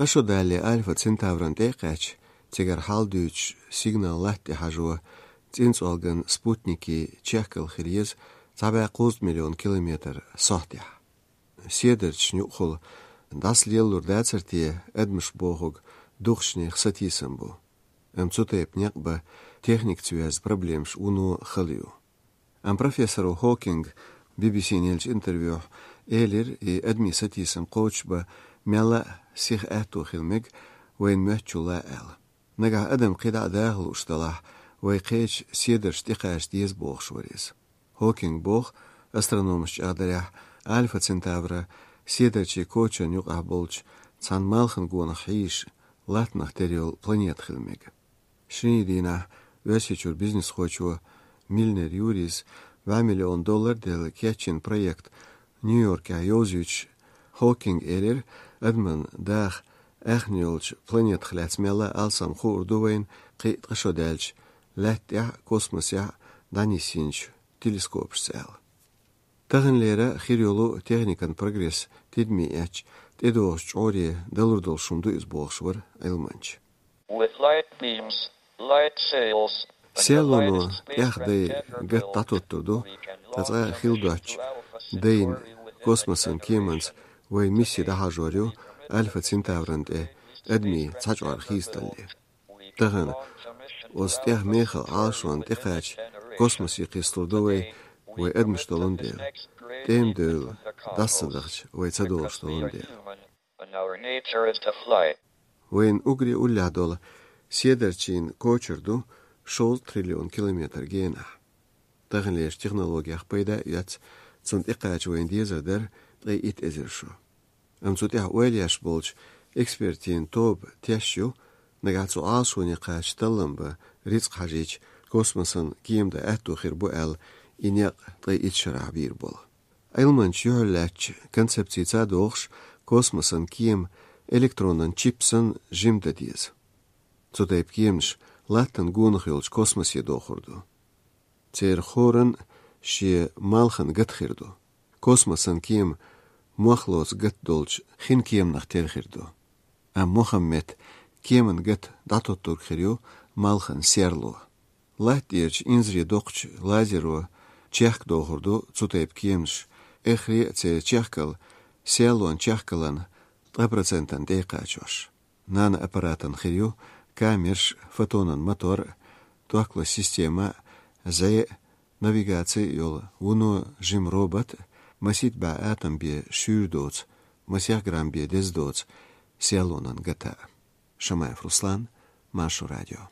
Tqashodali Alpha Centauran teqach tigar halduch signal lahti hajwa tinsolgan Sputniki Chekal khiriz 7 milyon kilometr sohtih. Siederch nukhul das lielur dacertie edmish bohog dukhshnih satisam bu. Amtsutep nyakba техник цвяз проблемш уну халью. Профессору Хокинг BBC нельч интервью элер и адмисатисам коучба мяла сих ату хилмиг وين مهچولا ال. نگاه ادم قيدا داخل اشتلاح ويقيش سيدر شتيقاش ديز بوخ شوريز. هوكينج بوخ استرونومش اقدريح الفا سنتافرا سيدر چي كوچن يقع بولج цан малхын гуна хиш латнах терил планет хилмиг. Шнидина Весичур бизнес хочу миллионер юрис $2 миллион дел кетчин проект Нью-Йорке Айозич Хокинг элер адман дах эхнилч планет хлацмела алсам хурдувейн қишодельч лаття космося данисинч телескоп сел. Тагынлера хирюлу техникан прогресс тедмияч тедош чори делурдол шумду изболшвар айлманч. With light beams, light sails. Селону яхдай гат татоттурду таза хилдач дейн космосын кеманс вай миссия дахажорю Альфа Центаврант адми цачар хисталли. Таган остях меха алшон техач космоси кистурдовой вай адмиштолондел. Тем дел дасsadach вай цадолштолондел. Вайн угри улядол седерчин кочерду шол триллион километр гена. Тагынлеш технологиях пайда яц цунт иқач вайн дезердер дай ит эзершу. Амцутях уэльяш болч экспертин тоб тящу нагацу алшуни қач талымба рицк хажич космосын киемда әтту хирбу әл инеq дай ит шарабир бол. Айлманч юрлач концепции цадохш космосын кием электронын чипсын жимда диз. Цутайп киемш латтан гунхилч космосе дохурду. Цер хорын ши малхан гатхирду. Космосын кием мохлоц гат долч хин киемнах терхирду. Мохаммед киемын гат датоттур хирю малхан серлу. Латтирч инзри дохч лазеру чехк дохурду цутайп киемш эхри це чехкал селуан чехкалан 3% дейқачош. Нана аппаратан хирю камерш фотонан мотор туакла система за навигации йол уну жим робот масит ба атом бе шюрдоц масях грамм бе дездоц селонан гата. Шамаев Руслан, Машу радио.